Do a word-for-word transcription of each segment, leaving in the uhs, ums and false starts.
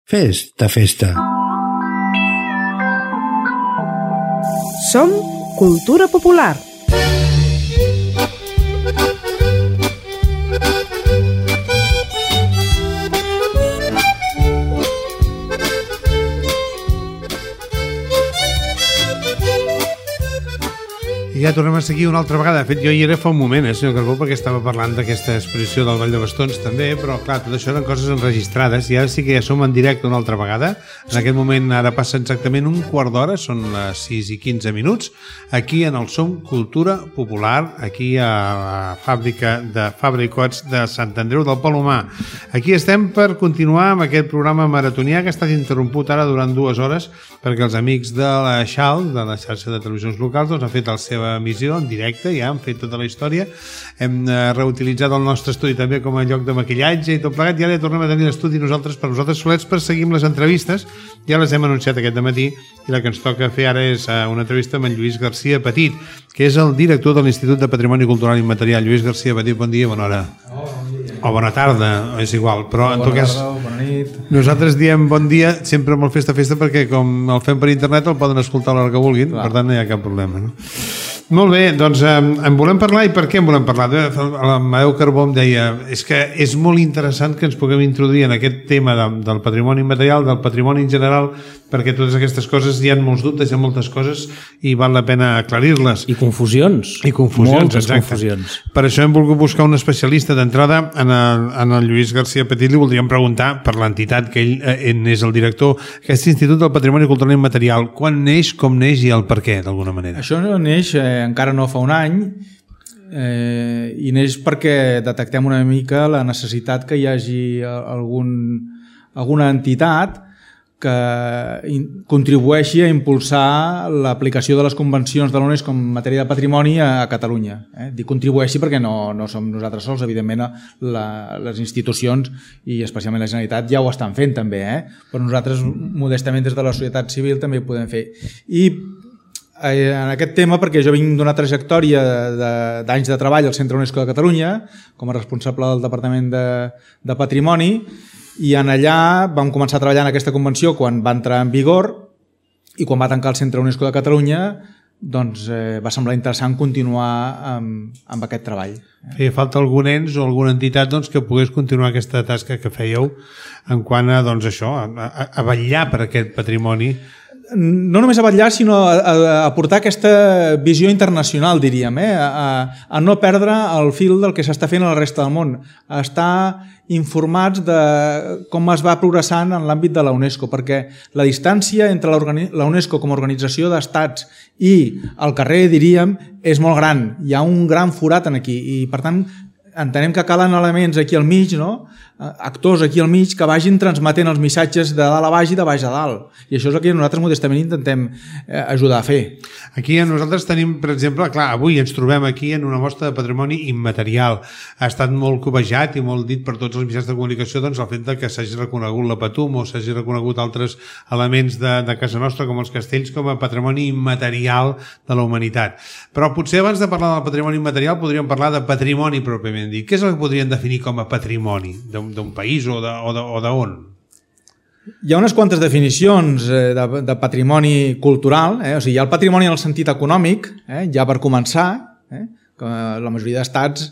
Festa, festa. Som Cultura Popular. I ja tornem a seguir una altra vegada. De fet, jo hi era fa un moment, eh, senyor Carbó, perquè estava parlant d'aquesta exposició del Vall de Bastons també, però clar, tot això eren coses enregistrades i ara sí que ja som en directe una altra vegada. En aquest moment ara passa exactament un quart d'hora, són les sis i quinze minuts, aquí en el Som Cultura Popular, aquí a la fàbrica de Fabricots de Sant Andreu del Palomar. Aquí estem per continuar amb aquest programa maratonià que ha estat interromput ara durant dues hores perquè els amics de la Xal, de la xarxa de televisions locals, doncs han fet la seva emissió en directe, ja han fet tota la història, hem eh, reutilitzat el nostre estudi també com a lloc de maquillatge i tot plegat, i ara ja tornem a tenir l'estudi nosaltres per nosaltres solets per seguir amb les entrevistes. Ja les hem anunciat aquest dematí i la que ens toca fer ara és eh, una entrevista amb en Lluís Garcia Petit, que és el director de l'Institut de Patrimoni Cultural Immaterial. Lluís Garcia Petit, bon dia, bona hora. Oh, bon dia. O bona tarda, és igual, però en bona tot cas tarda, bona nit. Nosaltres diem bon dia sempre molt festa-festa perquè com el fem per internet el poden escoltar a l'hora que vulguin. Clar. Per tant no hi ha cap problema, no? Molt bé, doncs eh, en volem parlar. I per què en volem parlar? L'Amadeu Carbó em deia, és que és molt interessant que ens puguem introduir en aquest tema de, del patrimoni immaterial, del patrimoni en general, perquè totes aquestes coses hi ha molts dubtes, hi ha moltes coses i val la pena aclarir-les. I confusions. I confusions, moltes exacte. Confusions. Per això hem volgut buscar un especialista d'entrada en el, en el Lluís Garcia Petit. Li voldríem preguntar per l'entitat que ell eh, és el director, aquest Institut del Patrimoni Cultural Immaterial. Quan neix, com neix i el per què, d'alguna manera? Això neix eh, encara no fa un any eh, i neix perquè detectem una mica la necessitat que hi hagi algun, alguna entitat que contribueixi a impulsar l'aplicació de les convencions de l'UNESCO en matèria de patrimoni a Catalunya. Eh? Dic contribueixi perquè no, no som nosaltres sols, evidentment la, les institucions i especialment la Generalitat ja ho estan fent també, eh? Però nosaltres modestament des de la societat civil també ho podem fer. I en aquest tema, perquè jo vinc d'una trajectòria d'anys de, de treball al Centre UNESCO de Catalunya com a responsable del Departament de, de Patrimoni, i en allà vam començar a treballar en aquesta convenció quan va entrar en vigor, i quan va tancar el Centre UNESCO de Catalunya doncs eh, va semblar interessant continuar amb, amb aquest treball. Feia falta algun ens o alguna entitat doncs, que pogués continuar aquesta tasca que fèieu en quant a, doncs, això, a, a, a vetllar per aquest patrimoni. No només a vetllar, sinó a, a, a portar aquesta visió internacional, diríem, eh? a, a no perdre el fil del que s'està fent a la resta del món, a estar informats de com es va progressant en l'àmbit de la UNESCO, perquè la distància entre la UNESCO com a organització d'estats i el carrer, diríem, és molt gran. Hi ha un gran forat en aquí i, per tant, entenem que calen elements aquí al mig, no? Actors aquí al mig que vagin transmetent els missatges de dalt a baix i de baix a dalt. I això és el que nosaltres modestament intentem ajudar a fer. Aquí nosaltres tenim, per exemple, clar, avui ens trobem aquí en una mostra de patrimoni immaterial. Ha estat molt cobejat i molt dit per tots els mitjans de comunicació doncs, el fet de que s'hagi reconegut la Patum o s'hagi reconegut altres elements de, de casa nostra com els castells com a patrimoni immaterial de la humanitat. Però potser abans de parlar del patrimoni immaterial podríem parlar de patrimoni pròpiament dit. Què és el que podríem definir com a patrimoni d'un país o d'on? Hi ha unes quantes definicions de, de patrimoni cultural, eh? O sigui, hi ha el patrimoni en el sentit econòmic, eh? Ja per començar, eh? Que la majoria d'estats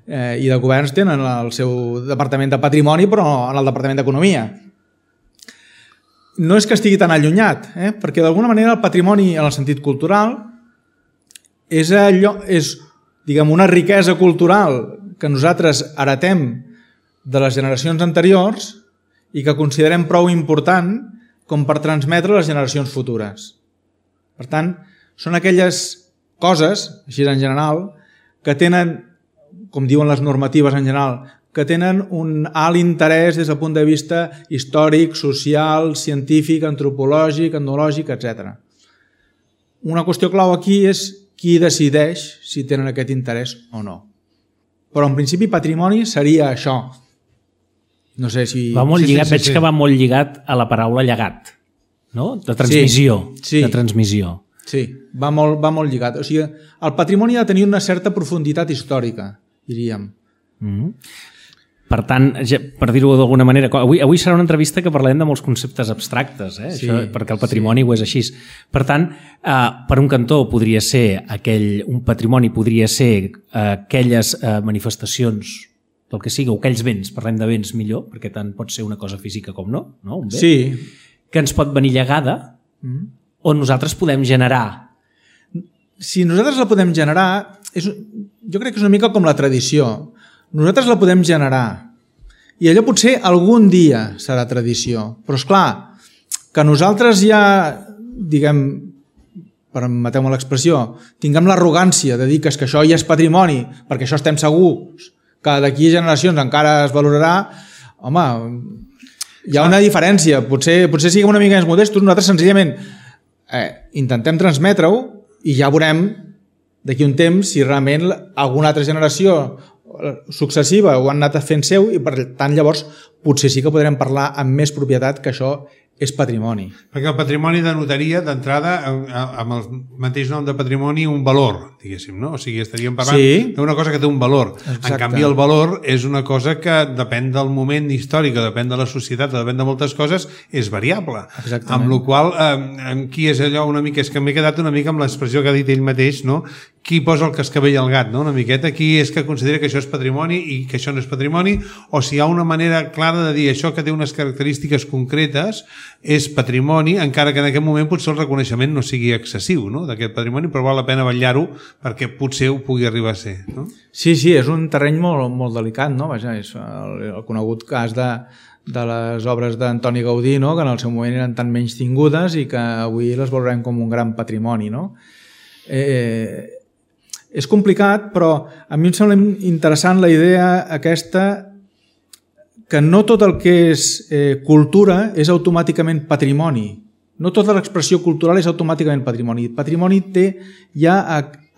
eh, i de governs tenen el seu departament de patrimoni, però en el departament d'economia. No és que estigui tan allunyat, eh? Perquè d'alguna manera el patrimoni en el sentit cultural és, allò, és diguem, una riquesa cultural que nosaltres heretem de les generacions anteriors i que considerem prou important com per transmetre a les generacions futures. Per tant, són aquelles coses, així en general, que tenen, com diuen les normatives en general, que tenen un alt interès des del punt de vista històric, social, científic, antropològic, etnològic, etcètera. Una qüestió clau aquí és qui decideix si tenen aquest interès o no. Però en principi patrimoni seria això. No sé si... Va molt sí, lligat, sí, sí, veig sí. que va molt lligat a la paraula llegat, no? De transmissió. Sí, sí. De transmissió. Sí, va molt, va molt lligat. O sigui, el patrimoni ha de tenir una certa profunditat històrica, diríem. Mm-hmm. Per tant, per dir-ho d'alguna manera, avui, avui serà una entrevista que parlem de molts conceptes abstractes, eh? Sí, Això, perquè el patrimoni sí. ho és així. Per tant, eh, per un cantó podria ser aquell, un patrimoni podria ser eh, aquelles eh, manifestacions del que sigui, o aquells béns, parlem de béns millor, perquè tant pot ser una cosa física com no, no? Un bé, sí. que ens pot venir llegada, mm. on nosaltres podem generar. Si nosaltres la podem generar, és, jo crec que és una mica com la tradició. Nosaltres la podem generar i allò potser algun dia serà tradició, però és clar que nosaltres ja, diguem, permeteu-me l'expressió, tinguem l'arrogància de dir que, és que això ja és patrimoni, perquè això estem segurs que d'aquí a generacions encara es valorarà. Home, hi ha una diferència, potser, potser siguem una mica més modestos, nosaltres senzillament eh, intentem transmetre-ho i ja veurem d'aquí un temps si realment alguna altra generació successiva ho han anat fent seu i per tant llavors potser sí que podrem parlar amb més propietat que això és patrimoni. Perquè el patrimoni denotaria d'entrada amb el mateix nom de patrimoni un valor, diguéssim, no? O sigui, estaríem parlant sí. d'una cosa que té un valor. Exacte. En canvi, el valor és una cosa que depèn del moment històric, depèn de la societat, depèn de moltes coses, és variable. Exactament. Amb la qual cosa, eh, qui és allò una mica, és que m'he quedat una mica amb l'expressió que ha dit ell mateix, no? Qui posa el cascavell al gat, no? Una miqueta, qui és que considera que això és patrimoni i que això no és patrimoni, o si hi ha una manera clara de dir això que té unes característiques concretes és patrimoni, encara que en aquest moment potser el reconeixement no sigui excessiu, no? D'aquest patrimoni, però val la pena vetllar-ho perquè potser ho pugui arribar a ser, no? Sí, sí, és un terreny molt, molt delicat, no? Vaja, és el, el conegut cas de, de les obres d'Antoni Gaudí, no? Que en el seu moment eren tan menys tingudes i que avui les valorem com un gran patrimoni, no? Eh, és complicat, però a mi em sembla interessant la idea aquesta que no tot el que és eh, cultura és automàticament patrimoni. No tota l'expressió cultural és automàticament patrimoni. Patrimoni té ja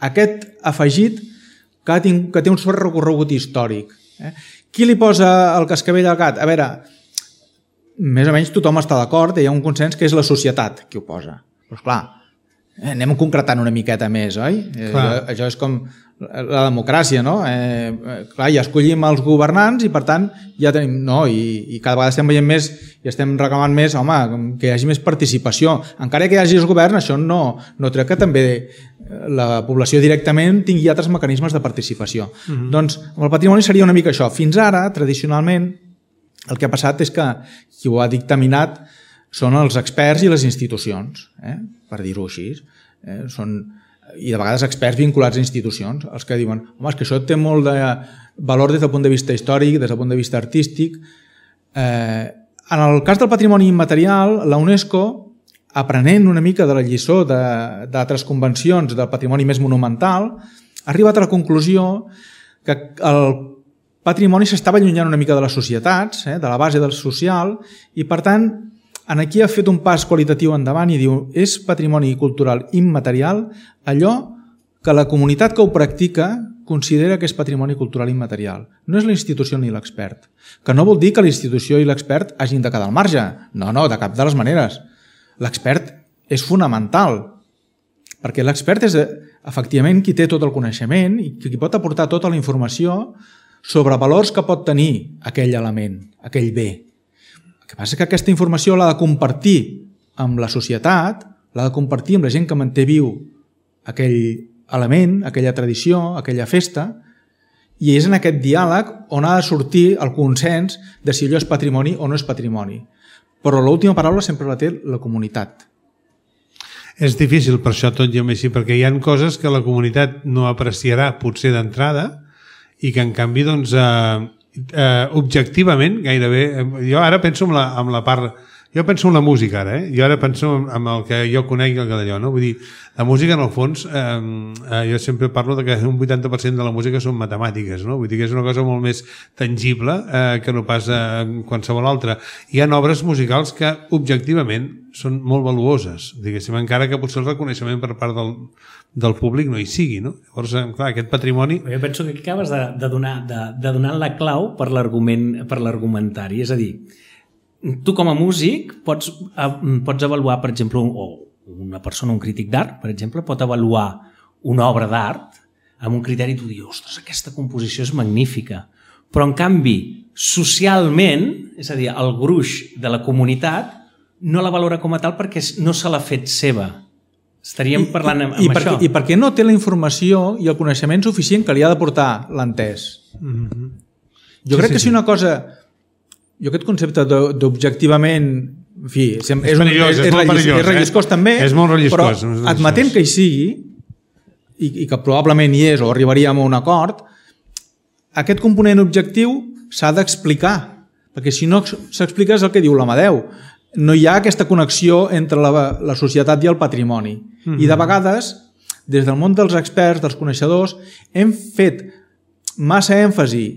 aquest afegit que, ha tinc, que té un cert recorregut històric. Eh? Qui li posa el cascavell al gat? A veure, més o menys tothom està d'acord, hi ha un consens que és la societat qui ho posa. Però esclar, eh, anem concretant una miqueta més, oi? Eh, allò, allò és com la democràcia, no? Eh, clar, ja escollim els governants i per tant ja tenim, no? I, i cada vegada estem veient més i estem reclamant més, home, que hi hagi més participació. Encara que hi hagi els governs, això no, no treu que també la població directament tingui altres mecanismes de participació. Mm-hmm. Doncs amb el patrimoni seria una mica això. Fins ara, tradicionalment, el que ha passat és que qui ho ha dictaminat són els experts i les institucions, eh? Per dir-ho així. Eh? Són i de vegades experts vinculats a institucions, els que diuen, home, és que això té molt de valor des del punt de vista històric, des del punt de vista artístic. Eh, en el cas del patrimoni immaterial, la UNESCO, aprenent una mica de la lliçó d'altres convencions del patrimoni més monumental, ha arribat a la conclusió que el patrimoni s'estava allunyant una mica de les societats, eh, de la base del social, i per tant en aquí ha fet un pas qualitatiu endavant i diu és patrimoni cultural immaterial allò que la comunitat que ho practica considera que és patrimoni cultural immaterial. No és la institució ni l'expert. Que no vol dir que la institució i l'expert hagin de quedar al marge. No, no, de cap de les maneres. L'expert és fonamental, perquè l'expert és efectivament qui té tot el coneixement i qui pot aportar tota la informació sobre valors que pot tenir aquell element, aquell bé. El que passa és que aquesta informació l'ha de compartir amb la societat, l'ha de compartir amb la gent que manté viu aquell element, aquella tradició, aquella festa, i és en aquest diàleg on ha de sortir el consens de si allò és patrimoni o no és patrimoni. Però l'última paraula sempre la té la comunitat. És difícil per això tot i així, perquè hi ha coses que la comunitat no apreciarà potser d'entrada i que en canvi doncs eh, eh, objectivament gairebé, jo ara penso en la, en la part, jo penso en la música ara, eh? Jo ara penso en el que jo conec i el que d'allò, no? Vull dir, la música en el fons, eh, eh, jo sempre parlo de que un vuitanta per cent de la música són matemàtiques, no? Vull dir que és una cosa molt més tangible eh, que no pas eh, qualsevol altra. Hi ha obres musicals que objectivament són molt valuoses, diguéssim, encara que potser el reconeixement per part del, del públic no hi sigui, no? Llavors, clar, aquest patrimoni... Jo penso que aquí acabes de, de, donar, de, de donar la clau per l'argument, per l'argumentari, és a dir, tu com a músic pots, pots avaluar, per exemple, o una persona, un crític d'art, per exemple, pot avaluar una obra d'art amb un criteri i tu dius, ostres, aquesta composició és magnífica, però en canvi socialment, és a dir, el gruix de la comunitat no la valora com a tal perquè no se l'ha fet seva. Estaríem parlant amb, amb I, i això. Perquè, I perquè no té la informació i el coneixement suficient que li ha de portar l'entès. Mm-hmm. Jo sí, crec sí, que si una cosa... Jo aquest concepte d'objectivament... En fi, és, és, és, perillós, és, és, és, perillós, és relliscós eh? també, és molt relliscós, però admetent que hi sigui i, i que probablement hi és o arribaríem a un acord, aquest component objectiu s'ha d'explicar, perquè si no s'explica és el que diu l'Amadeu. No hi ha aquesta connexió entre la, la societat i el patrimoni. Mm-hmm. I de vegades, des del món dels experts, dels coneixedors, hem fet massa èmfasi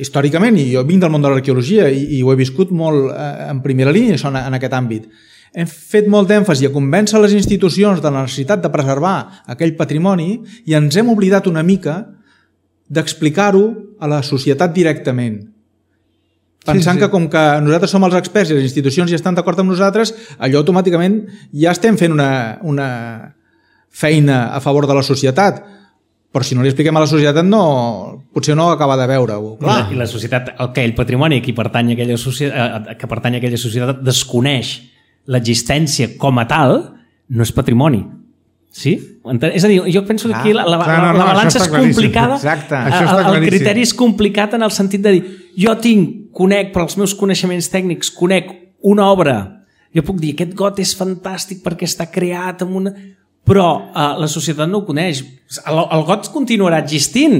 històricament, i jo vinc del món de l'arqueologia i, i ho he viscut molt eh, en primera línia això, en, en aquest àmbit, hem fet molt d'èmfasi a convèncer les institucions de la necessitat de preservar aquell patrimoni i ens hem oblidat una mica d'explicar-ho a la societat directament. Pensant sí, sí. que com que nosaltres som els experts i les institucions ja estan d'acord amb nosaltres, allò automàticament ja estem fent una, una feina a favor de la societat. Però si no li expliquem a la societat, no, potser no acaba de veure-ho. I la, I la societat, el que el patrimoni que pertany a aquella societat, que pertany a aquella societat desconeix l'existència com a tal, no és patrimoni. Sí? És a dir, jo penso que aquí la, la, Clar, no, no, la balança és complicada, el, el criteri és complicat en el sentit de dir, jo tinc, conec, per als meus coneixements tècnics, conec una obra, jo puc dir, aquest got és fantàstic perquè està creat amb una... Però uh, la societat no ho coneix. El, el got continuarà existint,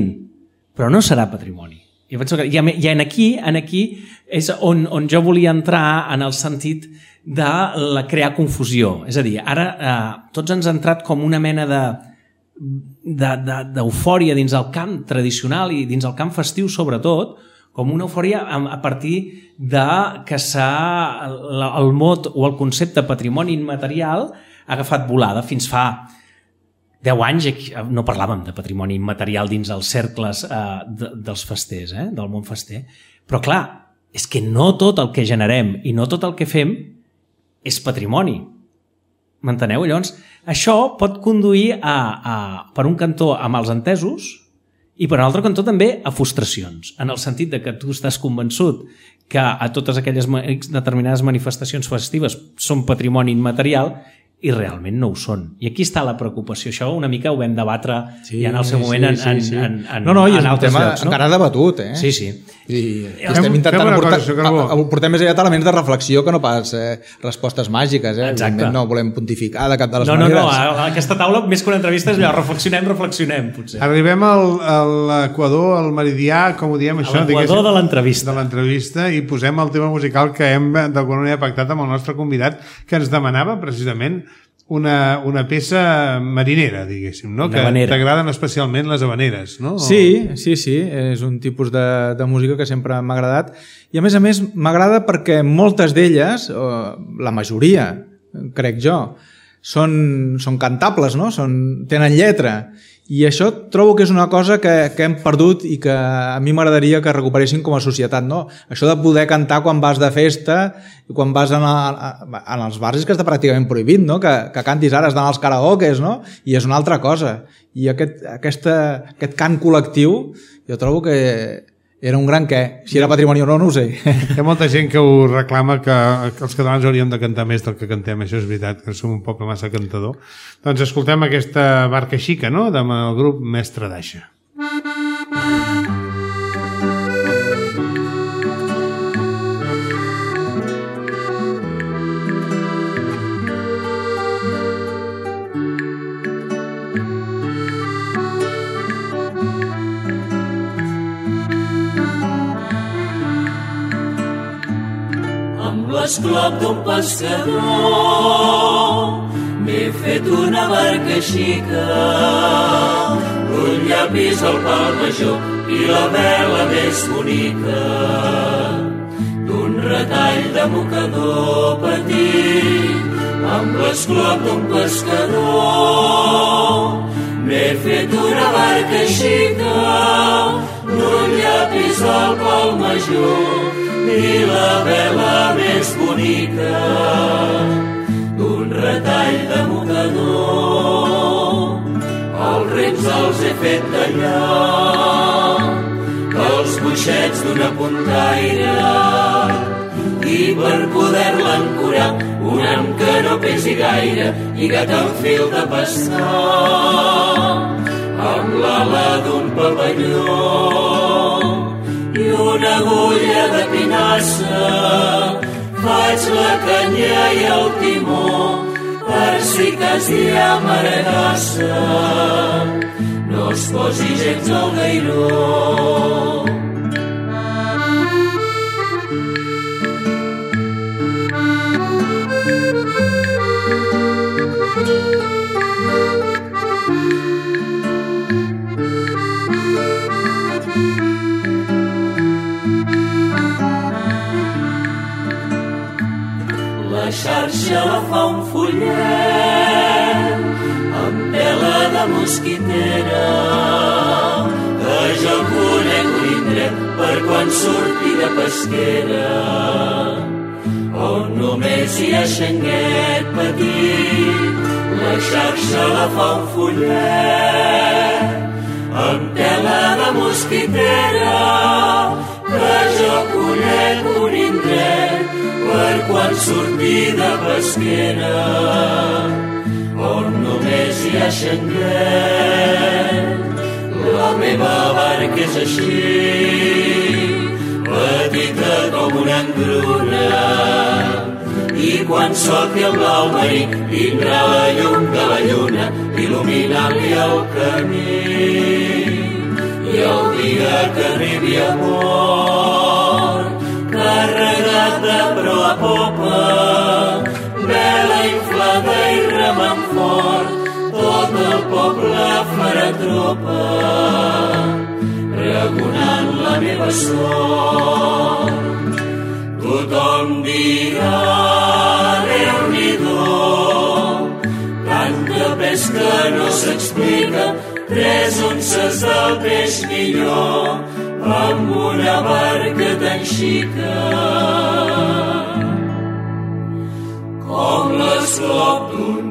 però no serà patrimoni. Jo penso que ja, ja en aquí, en aquí és on, on jo volia entrar en el sentit de la crear confusió. És a dir, ara eh, tots ens ha entrat com una mena de d'eufòria dins el camp tradicional i dins el camp festiu sobretot, com una eufòria a, a partir de que s'ha el mot o el concepte patrimoni immaterial ha agafat volada. Fins fa deu anys no parlàvem de patrimoni immaterial dins els cercles eh, de, dels festers, eh, del món fester. Però clar, és que no tot el que generem i no tot el que fem és patrimoni. M'enteneu? Llavors, això pot conduir a, a, per un cantó a mals entesos i per un altre cantó també a frustracions, en el sentit de que tu estàs convençut que a totes aquelles determinades manifestacions festives són patrimoni immaterial i realment no ho són. I aquí està la preocupació. Això una mica ho vam debatre sí, ja en el seu moment sí, en, sí, sí. en, en, no, no, i en altres tema, llocs. No? Encara debatut, eh? Sí, sí. I estem intentant portar, cosa, portem més aviat elements de reflexió que no pas eh, respostes màgiques. Eh? Exacte. No volem pontificar de cap de les no, maneres. No, no, a aquesta taula, més que una entrevista, és allò, reflexionem, reflexionem, potser. Arribem al, a l'equador, al meridià, com ho diem, això? L'equador de l'entrevista. De l'entrevista, i posem el tema musical que hem d'alguna manera pactat amb el nostre convidat, que ens demanava precisament Una, una peça marinera, diguéssim, no? Que t'agraden especialment les habaneres, no? Sí, sí, sí, és un tipus de, de música que sempre m'ha agradat i a més a més m'agrada perquè moltes d'elles, la majoria, crec jo, són, són cantables, no? Són, tenen lletra i això trobo que és una cosa que, que hem perdut i que a mi m'agradaria que recuperessin com a societat, no? Això de poder cantar quan vas de festa i quan vas en, a, en els bars és que està pràcticament prohibit, no? Que, que cantis ara, has d'anar als karaokes, no? I és una altra cosa. I aquest, aquesta, aquest cant col·lectiu jo trobo que era un gran què. Si era patrimoni o no, no ho sé. Hi ha molta gent que ho reclama que, que els catalans hauríem de cantar més del que cantem. Això és veritat, que som un poble massa cantador. Doncs escoltem aquesta barca xica, no?, del grup Mestre d'Aixa. L'esclop d'un pescador m'he fet una barca xica, un llapis al pal major i la vela més bonica, d'un retall de mocador petit, amb l'esclop d'un pescador m'he fet una barca xica, un llapis al pal major i la vela més bonica, d'un retall de mocador. Els rems els he fet tallar, que els ruixets d'una puntaire i per poder-la ancorar un ham que no pesi gaire lligat amb fil de pescar amb l'ala d'un papalló i una agulla de pinassa faig la canya i el timó per si cas hi ha maregassa no es posi gens al gairó. La xarxa la fa un follet amb tela de mosquitera que jo conec l'indret per quan surti de pesquera on només hi ha xanguet petit la xarxa la fa un follet amb tela de mosquitera que jo conec un indret per quan surti de pesquera on només hi ha xanguet. La meva barca és així, petita com una engruna, i quan solti el blau marí tindrà la llum de la lluna il·luminant-li el camí. I el dia que arribi a port, carregat de proa a popa, vela inflada i remant fort, tot el poble farà tropa, pregonant la meva sort. Tothom dirà, Déu-n'hi-do, tanta pesca no s'explica, tres onces del peix millor, amb una barca tan xica. Com l'esclop d'un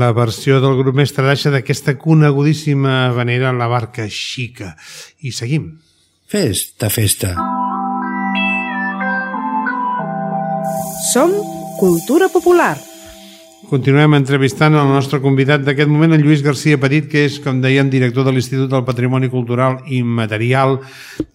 la versió del grup Mestre d'Aixa d'aquesta conegudíssima havanera La barca xica. I seguim. Festa, festa. Som Cultura Popular. Continuem entrevistant el nostre convidat d'aquest moment, en Lluís García Petit, que és, com dèiem, director de l'Institut del Patrimoni Cultural Immaterial,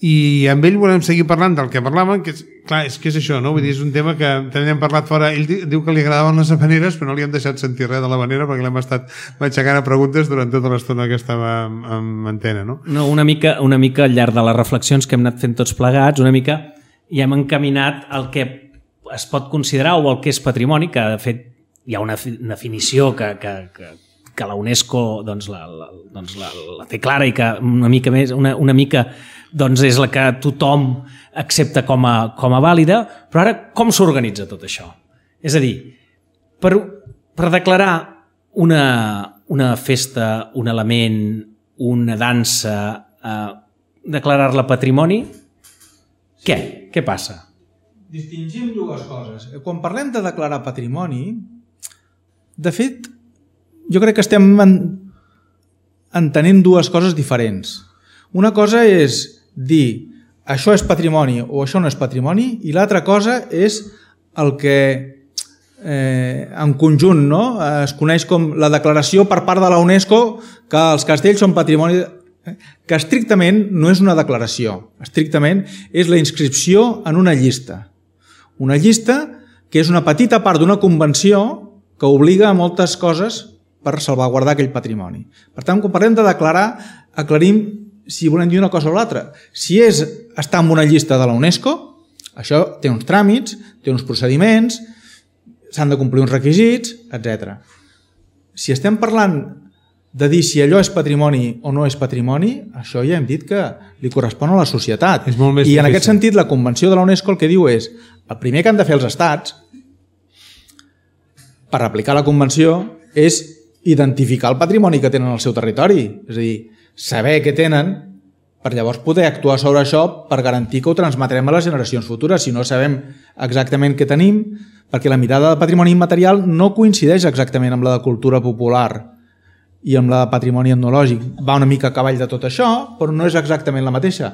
i amb ell volem seguir parlant del que parlàvem, que és, clar, és que és això, no? Vull dir, és un tema que també hem parlat fora. Ell diu que li agradaven les havaneres, però no li hem deixat sentir res de l'havanera perquè l'hem estat matxacant a preguntes durant tota l'estona que estava en antena, no? No, una mica, una mica al llarg de les reflexions que hem anat fent tots plegats, una mica ja hem encaminat el que es pot considerar o el que és patrimoni, que de fet hi ha una definició que, que, que, que la UNESCO doncs, la, la, doncs, la, la té clara i que una mica més, una, una mica doncs, és la que tothom accepta com a, com a vàlida, però ara com s'organitza tot això? És a dir, per, per declarar una, una festa, un element, una dansa, eh, declarar-la patrimoni, què? Què passa? Distingim dues coses. Quan parlem de declarar patrimoni, de fet, jo crec que estem en, entenent dues coses diferents. Una cosa és dir això és patrimoni o això no és patrimoni, i l'altra cosa és el que eh, en conjunt, no? Es coneix com la declaració per part de la UNESCO que els castells són patrimoni, que estrictament no és una declaració, estrictament és la inscripció en una llista. Una llista que és una petita part d'una convenció que obliga a moltes coses per salvaguardar aquell patrimoni. Per tant, quan parlem de declarar, aclarim si volem dir una cosa o l'altra. Si és estar en una llista de la UNESCO, això té uns tràmits, té uns procediments, s'han de complir uns requisits, etcètera. Si estem parlant de dir si allò és patrimoni o no és patrimoni, això ja hem dit que li correspon a la societat. És molt més I en difícil. aquest sentit, la Convenció de la UNESCO el que diu és el primer que han de fer els estats per aplicar la Convenció és identificar el patrimoni que tenen al seu territori. És a dir, saber què tenen per llavors poder actuar sobre això per garantir que ho transmetrem a les generacions futures. Si no sabem exactament què tenim, perquè la mirada de patrimoni immaterial no coincideix exactament amb la de cultura popular i amb la de patrimoni etnològic. Va una mica a cavall de tot això, però no és exactament la mateixa.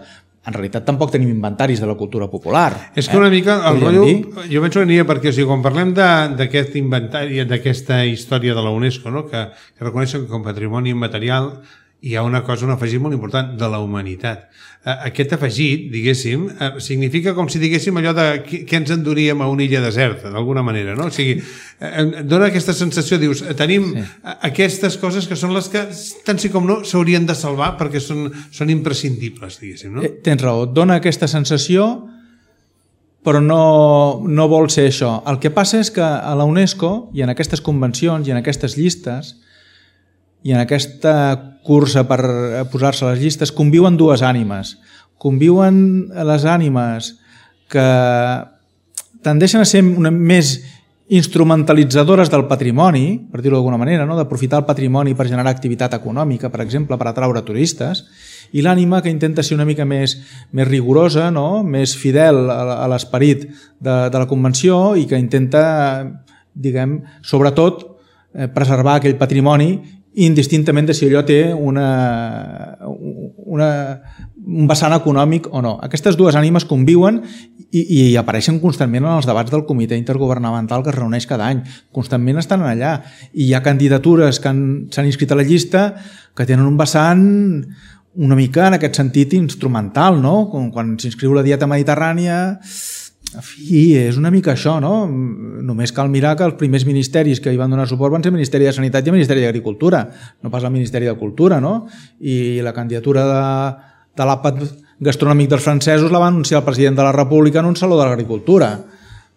En realitat tampoc tenim inventaris de la cultura popular. És que una eh? mica el rotllo, jo penso que aniria perquè, o sigui, quan parlem d'aquest inventari, d'aquesta història de la UNESCO, no? que, que reconeixen com patrimoni immaterial, hi ha una cosa, un afegit molt important, de la humanitat. Aquest afegit, diguéssim, significa com si diguéssim allò de què ens enduríem a una illa deserta, d'alguna manera, no? O sigui, dona aquesta sensació, dius, tenim sí. aquestes coses que són les que, tant sí com no, s'haurien de salvar perquè són, són imprescindibles, diguéssim, no? Tens raó, dona aquesta sensació, però no, no vol ser això. El que passa és que a la UNESCO, i en aquestes convencions, i en aquestes llistes, i en aquesta cursa per posar-se a les llistes conviuen dues ànimes. Conviuen les ànimes que tendeixen a ser una més instrumentalitzadores del patrimoni, per dir-ho d'alguna manera, no? D'aprofitar el patrimoni per generar activitat econòmica, per exemple, per atraure turistes, i l'ànima que intenta ser una mica més, més rigorosa, no? Més fidel a l'esperit de, de la convenció i que intenta, diguem, sobretot, eh, preservar aquell patrimoni indistintament de si allò té una, una, un vessant econòmic o no. Aquestes dues ànimes conviuen i, i apareixen constantment en els debats del comitè intergovernamental que es reuneix cada any. Constantment estan allà. I hi ha candidatures que s'han inscrit a la llista que tenen un vessant una mica en aquest sentit instrumental, no? Com quan s'inscriu la dieta mediterrània... En fi, és una mica això, no? Només cal mirar que els primers ministeris que hi van donar suport van ser el Ministeri de Sanitat i el Ministeri d'Agricultura, no pas el Ministeri de Cultura, no? I la candidatura de, de l'àpat gastronòmic dels francesos la va anunciar el president de la República en un saló de l'Agricultura.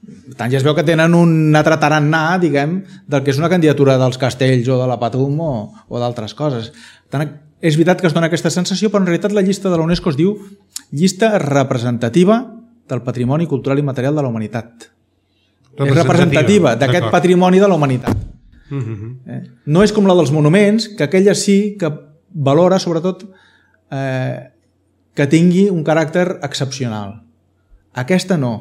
Per tant, ja es veu que tenen un altre tarannà, diguem, del que és una candidatura dels castells o de la Patum o, o d'altres coses. Per tant, és veritat que es dona aquesta sensació, però en realitat la llista de la UNESCO es diu llista representativa del patrimoni cultural i material de la humanitat. És representativa d'aquest patrimoni de la humanitat. Uh-huh. eh? No és com la dels monuments, que aquella sí que valora, sobretot, eh, que tingui un caràcter excepcional. Aquesta no.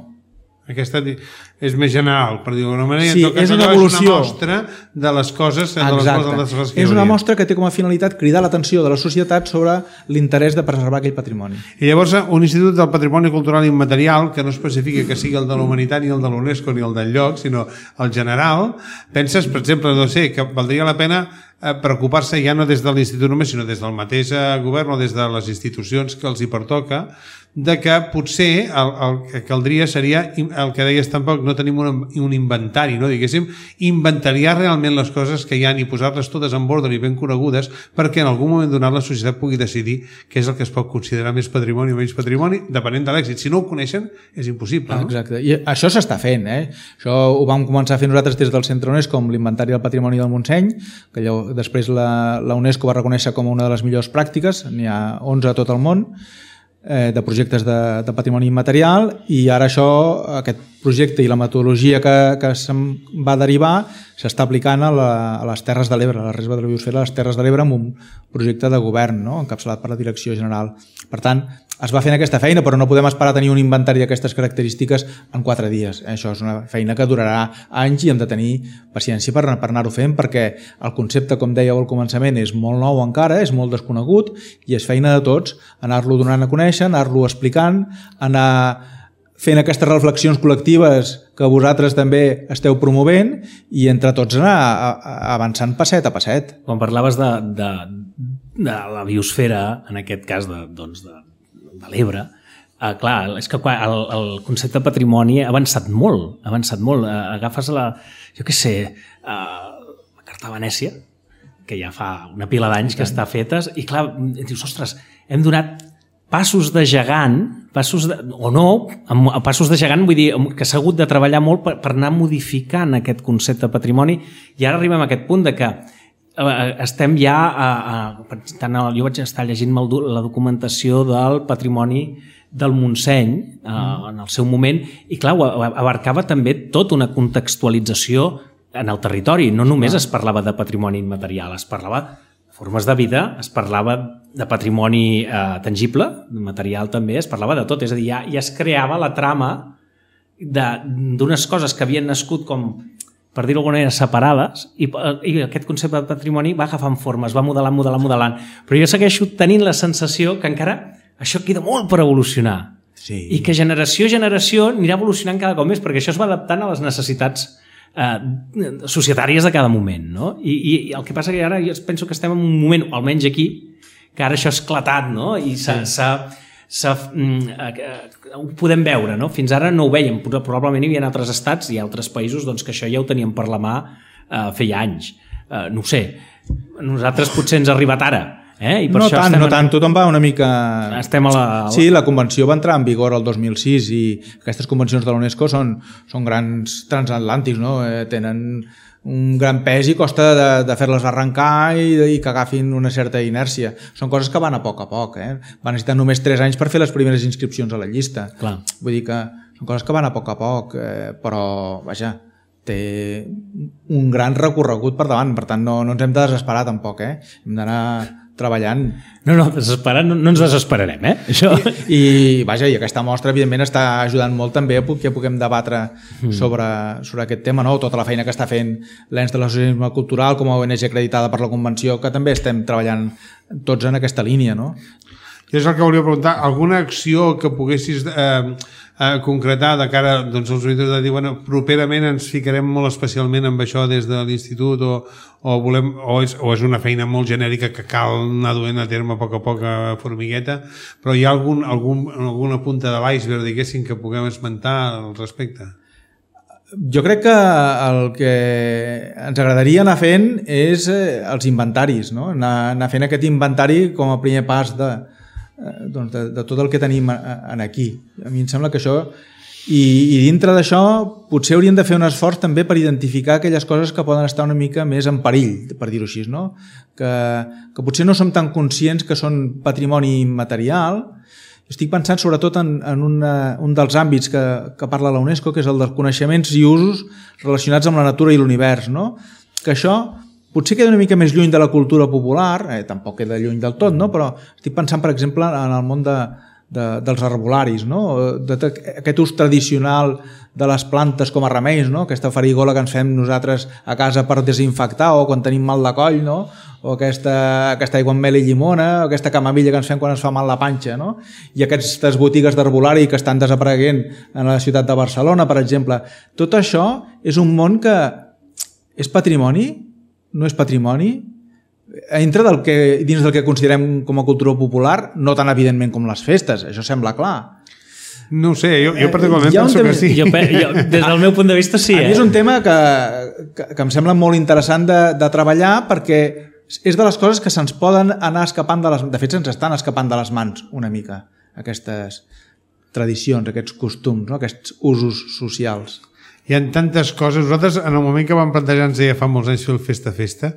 Aquesta és més general, per dir-ho d'alguna manera. Sí, és una evolució. És una mostra de les coses... De les Exacte. Les coses que és una mostra que té com a finalitat cridar l'atenció de la societat sobre l'interès de preservar aquell patrimoni. I llavors un institut del patrimoni cultural immaterial que no especifica que sigui el de la humanitat ni el de l'UNESCO ni el del lloc, sinó el general, penses, per exemple, no sé, que valdria la pena preocupar-se ja no des de l'institut només, sinó des del mateix govern o des de les institucions que els hi pertoca, de que potser el, el que caldria seria el que deies tampoc, no tenim un, un inventari, no diguéssim, inventariar realment les coses que hi ha i posar-les totes en ordre i ben conegudes perquè en algun moment donat la societat pugui decidir què és el que es pot considerar més patrimoni o menys patrimoni, depenent de l'èxit. Si no ho coneixen, és impossible. No? Exacte. I això s'està fent. Eh? Això ho vam començar a fer nosaltres des del Centre UNESCO amb l'Inventari del Patrimoni del Montseny, que allò, després la, la UNESCO va reconèixer com una de les millors pràctiques, n'hi ha onze a tot el món, de projectes de, de patrimoni immaterial, i ara això, aquest projecte i la metodologia que, que se'n va derivar s'està aplicant a, la, a les Terres de l'Ebre, a la reserva de la biosfera a les Terres de l'Ebre, amb un projecte de govern, no? Encapçalat per la Direcció General. Per tant, es va fent aquesta feina, però no podem esperar tenir un inventari d'aquestes característiques en quatre dies. Això és una feina que durarà anys i hem de tenir paciència per, per anar-ho fent, perquè el concepte, com dèieu al començament, és molt nou encara, és molt desconegut, i és feina de tots anar-lo donant a conèixer, anar-lo explicant, anar fent aquestes reflexions col·lectives que vosaltres també esteu promovent i entre tots anar avançant passet a passet. Quan parlaves de, de, de la biosfera, en aquest cas de, doncs de, de l'Ebre, eh, clar, és que el, el concepte de patrimoni ha avançat molt, ha avançat molt. Eh, agafes la, jo què sé, eh, la Carta de Venècia, que ja fa una pila d'anys que està fetes, i clar, dius, ostres, hem donat passos de gegant, passos de, o no, passos de gegant, vull dir que s'ha hagut de treballar molt per, per anar modificant aquest concepte de patrimoni, i ara arribem a aquest punt de que estem ja a, a, tant, jo vaig estar llegint la documentació del patrimoni del Montseny mm. en el seu moment, i clar, abarcava també tota una contextualització en el territori, no només es parlava de patrimoni immaterial, es parlava formes de vida, es parlava de patrimoni eh, tangible, material també, es parlava de tot, és a dir, ja, ja es creava la trama d'unes coses que havien nascut com, per dir-ho d'alguna manera, separades, i, i aquest concepte de patrimoni va agafant formes, va modelant, modelant, modelant. Però jo segueixo tenint la sensació que encara això queda molt per evolucionar. Sí. I que generació a generació anirà evolucionant cada cop més, perquè això es va adaptant a les necessitats eh, societàries de cada moment, no? I, i el que passa que ara jo penso que estem en un moment, almenys aquí, que ara això ha esclatat, no? I s'ha... Sí. ho podem veure, no? Fins ara no ho veiem, probablement hi havia altres estats i altres països doncs, que això ja ho teníem per la mà eh, feia anys, eh, no ho sé, nosaltres potser ens ha arribat ara, eh? I per no això tant, no en... tant, tothom va una mica... Estem a la... Sí, la convenció va entrar en vigor el dos mil sis i aquestes convencions de la UNESCO són, són grans transatlàntics, no? Eh, tenen un gran pes i costa de, de fer-les arrencar i, i que agafin una certa inèrcia. Són coses que van a poc a poc, eh? Van necessitar només tres anys per fer les primeres inscripcions a la llista. Clar. Vull dir que són coses que van a poc a poc, eh, però, vaja, té un gran recorregut per davant, per tant no, no ens hem de desesperar tampoc, eh? Hem d'anar treballant. No, no, desesperar, no, no ens desesperarem, eh? Això... I, i, vaja, i aquesta mostra, evidentment, està ajudant molt també que puguem debatre mm. sobre, sobre aquest tema, no? Tota la feina que està fent l'Ens de l'Associacionisme Cultural com a O N G acreditada per la Convenció, que també estem treballant tots en aquesta línia, no? I és el que volia preguntar, alguna acció que poguessis eh, eh, concretar de cara doncs, als oïdors de dir, bueno, properament ens ficarem molt especialment amb això des de l'institut o, o, volem, o, és, o és una feina molt genèrica que cal anar duent a terme a poc a poc a formigueta, però hi ha algun, algun, alguna punta de l'iceberg, diguéssim, que puguem esmentar al respecte? Jo crec que el que ens agradaria anar fent és els inventaris, no? Anar, anar fent aquest inventari com a primer pas de, doncs de, de tot el que tenim en aquí. A mi em sembla que això... I, i dintre d'això potser hauríem de fer un esforç també per identificar aquelles coses que poden estar una mica més en perill, per dir-ho així, no? Que, que potser no som tan conscients que són patrimoni immaterial. Estic pensant sobretot en, en una, un dels àmbits que, que parla la UNESCO, que és el dels coneixements i usos relacionats amb la natura i l'univers, no? Que això potser queda una mica més lluny de la cultura popular, eh, tampoc queda lluny del tot, no? Però estic pensant, per exemple, en el món de, de, dels herbolaris, no? De, de, aquest ús tradicional de les plantes com a remeis, no? Aquesta farigola que ens fem nosaltres a casa per desinfectar o quan tenim mal de coll, no? O aquesta, aquesta aigua amb mel i llimona, o aquesta camamilla que ens fem quan ens fa mal la panxa, no? I aquestes botigues d'herbolari que estan desapareguent en la ciutat de Barcelona, per exemple. Tot això és un món que és patrimoni, no és patrimoni, entra del que, dins del que considerem com a cultura popular, no tan evidentment com les festes, això sembla clar. No ho sé, jo, jo particularment penso tema, que sí. Jo, jo, des del meu punt de vista sí. A eh? mi és un tema que, que, que em sembla molt interessant de, de treballar perquè és de les coses que se'ns poden anar escapant de les... De fet, se'ns estan escapant de les mans una mica, aquestes tradicions, aquests costums, no? Aquests usos socials. Hi ha tantes coses. Nosaltres, en el moment que vam plantejar-nos ja fa molts anys fer el Festa Festa,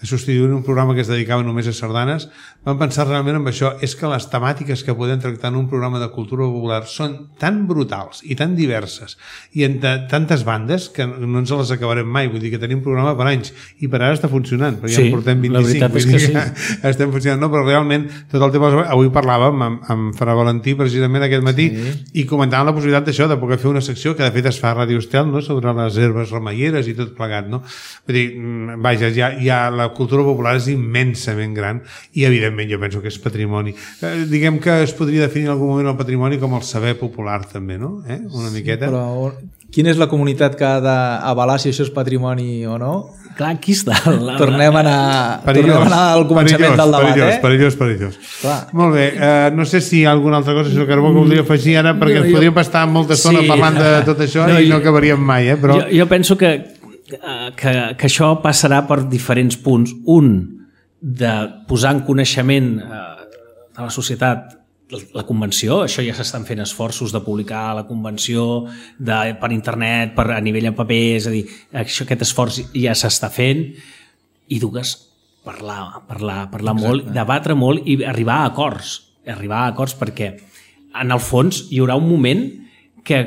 substituint un programa que es dedicava només a sardanes, vam pensar realment en això. És que les temàtiques que podem tractar en un programa de cultura popular són tan brutals i tan diverses i en tantes bandes que no ens les acabarem mai. Vull dir que tenim programa per anys i per ara està funcionant, perquè sí, ja en portem vint-i-cinc. La veritat és que sí. Que estem funcionant. No, però realment tot el tema... Avui parlàvem amb, amb Fra Valentí precisament aquest matí sí. I comentàvem la possibilitat d'això, de poder fer una secció que de fet es fa a Ràdio Estel, no? Sobre les herbes remeieres i tot plegat, no? Vull dir, vaja, ja, ja la cultura popular és immensament gran i evidentment jo penso que és patrimoni. Eh, diguem que es podria definir en algun moment el patrimoni com el saber popular també, no? Eh? Una miqueta. Sí, però quina és la comunitat que ha d'avalar si això és patrimoni o no? Clar, aquí està. La... Tornem a anar, perillós, tornem a anar al començament perillós, del debat, perillós, eh? Perillós, perillós, perillós. Molt bé, uh, no sé si hi ha alguna altra cosa, senyor Carbó, que voldria afegir ara, perquè ens podríem estar molta estona sí. parlant de tot això no, i no acabaríem mai, eh? Però... Jo, jo penso que, que, que això passarà per diferents punts. Un, de posar en coneixement a la societat la convenció, això ja s'estan fent esforços de publicar la convenció de, per internet, per, a nivell en paper, és a dir, això, aquest esforç ja s'està fent, i dues, parlar, parlar, parlar molt, debatre molt i arribar a acords, arribar a acords perquè en el fons hi haurà un moment que,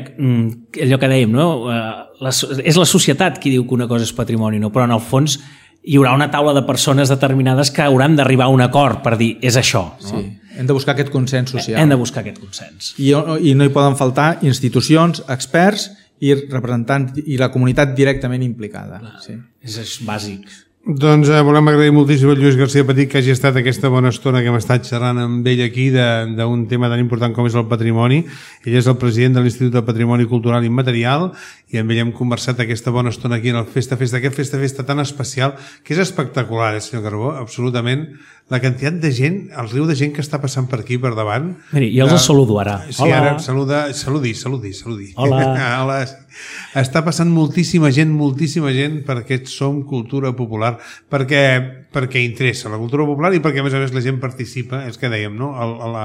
allò que dèiem, no? La, és la societat qui diu que una cosa és patrimoni, no? Però en el fons hi haurà una taula de persones determinades que hauran d'arribar a un acord per dir, és això. No? Sí, hem de buscar aquest consens social. Hem de buscar aquest consens. I, i no hi poden faltar institucions, experts i representants i la comunitat directament implicada. Clar, sí. És, és bàsic. Doncs eh, volem agrair moltíssim a Lluís García Petit que hagi estat aquesta bona estona que hem estat xerrant amb ell aquí d'un tema tan important com és el patrimoni. Ell és el president de l'Institut de Patrimoni Cultural Immaterial i amb ell hem conversat aquesta bona estona aquí en el Festa Festa, aquest Festa Festa tan especial que és espectacular, eh, senyor Carbó, absolutament. La quantitat de gent, el riu de gent que està passant per aquí, per davant. Miri, jo els de... saludo ara. Sí, hola. Ara saluda, saludi, saludi, saludi. Hola. Hola. Està passant moltíssima gent, moltíssima gent per aquest Som Cultura Popular, perquè, perquè interessa la cultura popular i perquè a més a més la gent participa, és que dèiem, no? El, el,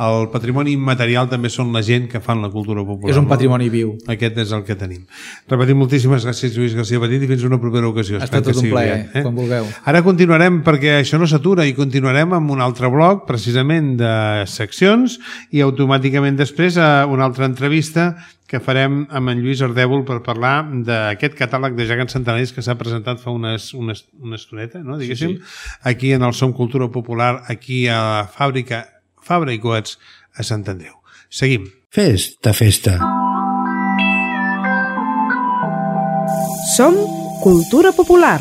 el patrimoni immaterial també són la gent que fan la cultura popular. És un patrimoni viu. Aquest és el que tenim. Repetim moltíssimes gràcies, Lluís García Petit, i fins una propera ocasió. Ha estat tot un plaer, eh? quan vulgueu. Ara continuarem, perquè això no s'atura, i continuarem amb un altre bloc, precisament de seccions, i automàticament després una altra entrevista que farem amb en Lluís Ardèvol per parlar d'aquest catàleg de gegants centenaris que s'ha presentat fa unes, unes, una estoneta, no? Diguéssim, sí, sí. Aquí en el Som Cultura Popular, aquí a la fàbrica Fabra i Coats a Sant Andreu. Seguim. Festa, festa. Som Cultura Popular.